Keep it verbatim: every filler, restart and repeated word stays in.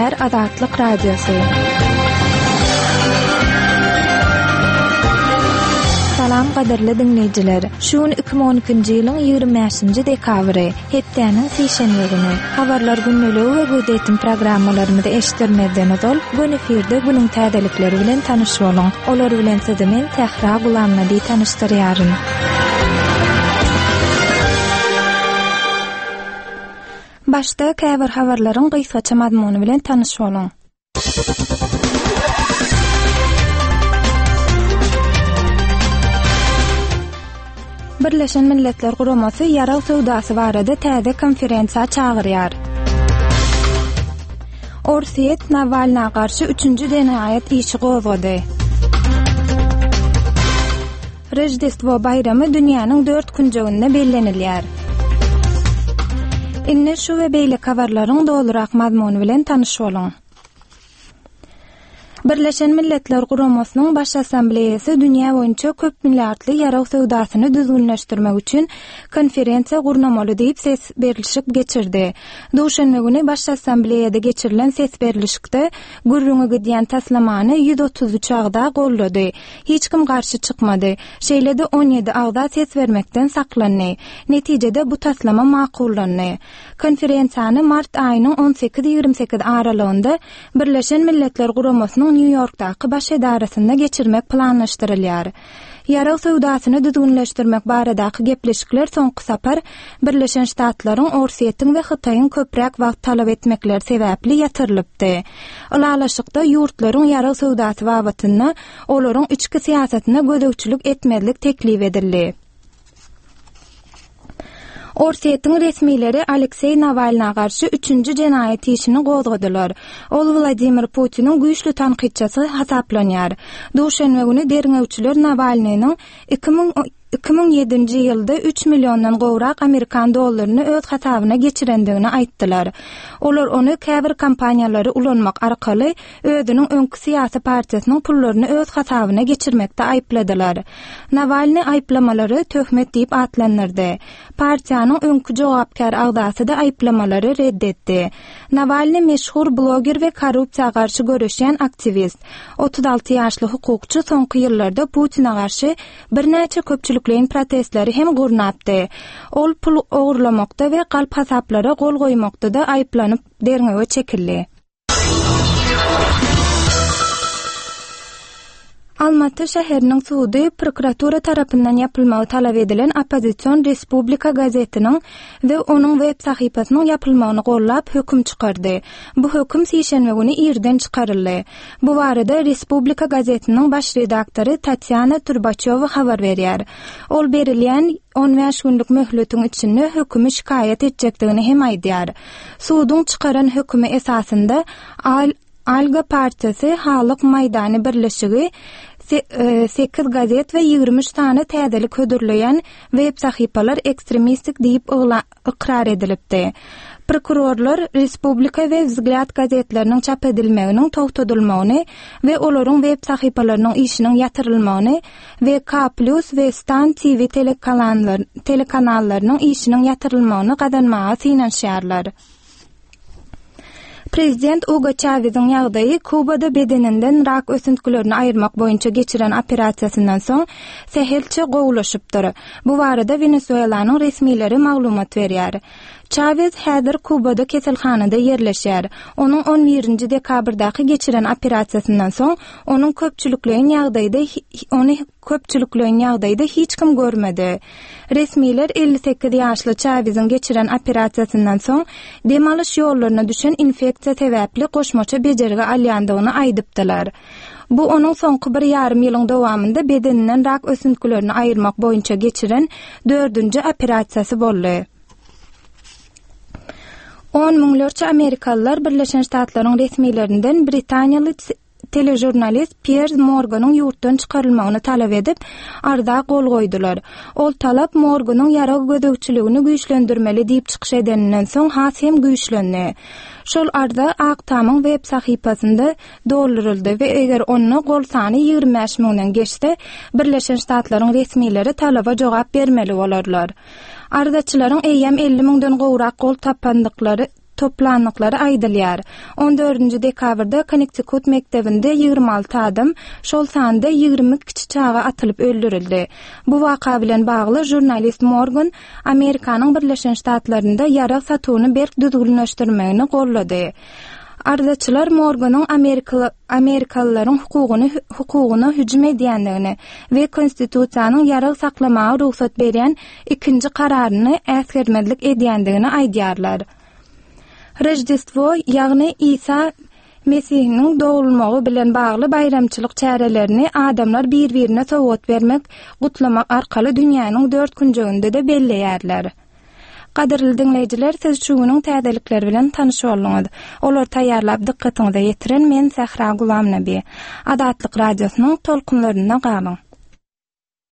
gepleýär Azatlyk Radiosy. Salam gadyrly diňleýjiler. Şu gün iki müň on ikinji ýylyň ýigrimi bäşinji dekabry, hepdäniň sişenbe güni. Habarlar gündeligi we gözetim programmalarymyzy eşitdirmezden ozal, gün efirde günüň täzelikleri bilen tanyş boluň. Olar bilen sizi men Sähra Gulamnabi tanyşdyrýaryn. Başda käbir habarlaryň gysgaça mazmuny bilen tanyş boluň. Birleşen Milletler Guramasy ýarag söwdasy barada täze konferensiýa çagyrýar. Orsýet Nawalna garşy üçünji jenaýat işi gozgady. Rojdestvo baýramy dünýäniň dört künjeginde bellenilýär. Indi şu we beýleki habarlaryň dolurak mazmuny bilen tanyş boluň. Birleşen Milletler Guramasynyň Baş Assambleýasy dünýä boýunça köp milliardly ýarag söwdasyny düzgünleşdirmek üçin konferensiýa gurnamaly diýip ses berlişik geçirdi. Duşenbe güni Baş Assambleýada geçirilen ses berlişikde gürrüňi gidýän taslamany ýüz otuz üç agza gollady. Hiç kim garşy çykmady. Şeýle-de on ýedi agza ses bermekden saklandy. Netijede bu taslama makullandy. Konferensiýany mart aýynyň on sekiz ýigrimi sekiz aralygynda Birleşen Milletler Guramasynyň Nýu-Ýorkdaky baş edarasynda geçirmek planlaşdyrylýar. Ýarag söwdasyny düzgünleşdirmek baradaky gepleşikler soňky sapar Birleşen Ştatlaryň, Orsýetiň we Hytaýyň köpräk wagt talap etmekleri sebäpli ýatyrylypdy. Ylalaşykda ýurtlaryň ýarag söwdasy babatynda olaryň içki syýasatyna gözegçilik etmezlik teklip edildi. Orsýetiň resmileri Alekseý Nawalna garşy üçünji jenaýat işini gozgadylar. Ol Wladimir Putiniň güýçli tankytçysy hasaplanýar. Duşenbe güni derňewçiler Nawalnynyň iki müň iki müň ýedinji ýylda üç milliondan gowrak amerikan dollaryny öz hasabyna geçirendigini aýtdylar. Olar ony käbir kompaniýalary ulanmak arkaly özüniň öňki syýasy partiýasynyň pullaryny öz hasabyna geçirmekde aýypladylar. Nawalny aýyplamalary töhmet diýip atlandyrdy. Partiýanyň öňki jogapkär agzasy da aýyplamalary reddetdi. Nawalny meşhur bloger we korrupsiýa garşy göreşýän aktiwist. Otuz alty ýaşly hukukçy soňky ýyllarda Putina garşy birnäçe köpçülikleýin protestleri hem gurnapdy. Ol pul ogurlamakda we galp hasaplara gol goýmakda da aýyplanyp derňewe çekildi. Almaty şäheriniň sudy prokuratura tarapyndan ýapylmagy talap edilen oppozision Respublika gazetiniň we onuň web sahypasynyň ýapylmagyny gollap höküm çykardy. Bu höküm sişenbe güni irden çykaryldy. Bu barada Respublika gazetiniň baş redaktory Tatýana Turbaçowa habar berýär. Ol berilýän on bäş günlük möhletiň içinde hökümi şikaýat etjekdigini hem aýdýar. Suduň çykaran hökümi esasynda Al-, Alga partiýasy Halyk Maýdany birleşigi se-, e, sekiz gazet we ýigrimi üç sany täzelik hödürleýän web sahypalar ekstremistik diýip ygla-, ykrar edilipdi. Prokurorlar Respublika we Vzglýad gazetleriniň çap edilmeginiň togtadylmagyny we olaryň web sahypalarynyň işiniň ýatyrylmagyny we K plus we Stan T V telekanallar-, telekanallarynyň işiniň ýatyrylmagyny gazanmaga synanyşýarlar. Prezident Hugo Chavez'iň ýagdaýy Kubada bedeninden rak ösüntgilerini aýyrmak boýunça geçiren operasiýasyndan soň sähelçe gowulaşypdyr. Bu barada Venezuelanyň resmileri maglumat berýär. Chavez häzir Kubada keselhanada ýerleşýär. Onuň on birinji dekabrdaky geçiren operasiýasyndan soň onuň köpçülikleýin ýagdaýda hi-, ony köpçülikleýin ýagdaýda hiç kim görmedi. Resmiler elli sekiz ýaşly Chavez'iň geçiren operasiýasyndan soň dem alyş ýollaryna düşen infeksiýa sebäpli goşmaça bejergi alýandygyny aýdypdylar. Bu onuň soňky bir ýarym ýylyň dowamynda bedeninden rak ösüntgilerini aýyrmak boýunça geçiren dördünji operasiýasy boldy. On müňlerçe Amerikalylar Birleşen Ştatlaryň resmilerinden Britaniýaly telejurnalist Piers Morganyň ýurtdan çykarylmagyny talap edip, arza gol goýdular. Ol talap Morganyň ýarag gözegçiligini güýçlendirmeli diýip çykyş edeninden soň has hem güýçlendi. Şol arza Ak Tamyň web sahypasynda dolduryldy we eger onda gol sany ýigrimi bäş müňden geçse, Birleşen Ştatlaryň resmileri talaba jogap bermeli bolarlar. Arzaçylaryň eýýäm elli müňden gowrak gol tapandyklary toplandyklary aýdylýar. On dördünji dekabrda Konnektikut mekdebinde ýigrimi alty adam, şol sanda ýigrimi kiçi çaga atylyp öldürildi. Bu waka bilen bagly žurnalist Morgan Amerikanyň Birleşen Ştatlarynda ýarag satuwyny berk düzgünleşdirmegini gollady. Arzaçylar Morganyň amerikalylaryň hukugyny hukugyna hüjüm edýändigini we konstitusiýanyň ýarag saklamaga rugsat berýän ikinji kararyny äsgermezlik edýändigini aýdýarlar. Rojdestvo, ýagny Isa Mesihiniň dogulmagy bilen bagly baýramçylyk çärelerini adamlar bir-birine sowgat bermek, gutlamak arkaly dünýäniň dört künjeginde-de belleýärler. Gadyrly diňleýjiler, siz şu günüň täzelikleri bilen tanyş bolduňyz. Olary taýýarlap dykgatyňyza ýetiren men Sähra Gulamnabi. Azatlyk radiosynyň tolkunlarynda galyň.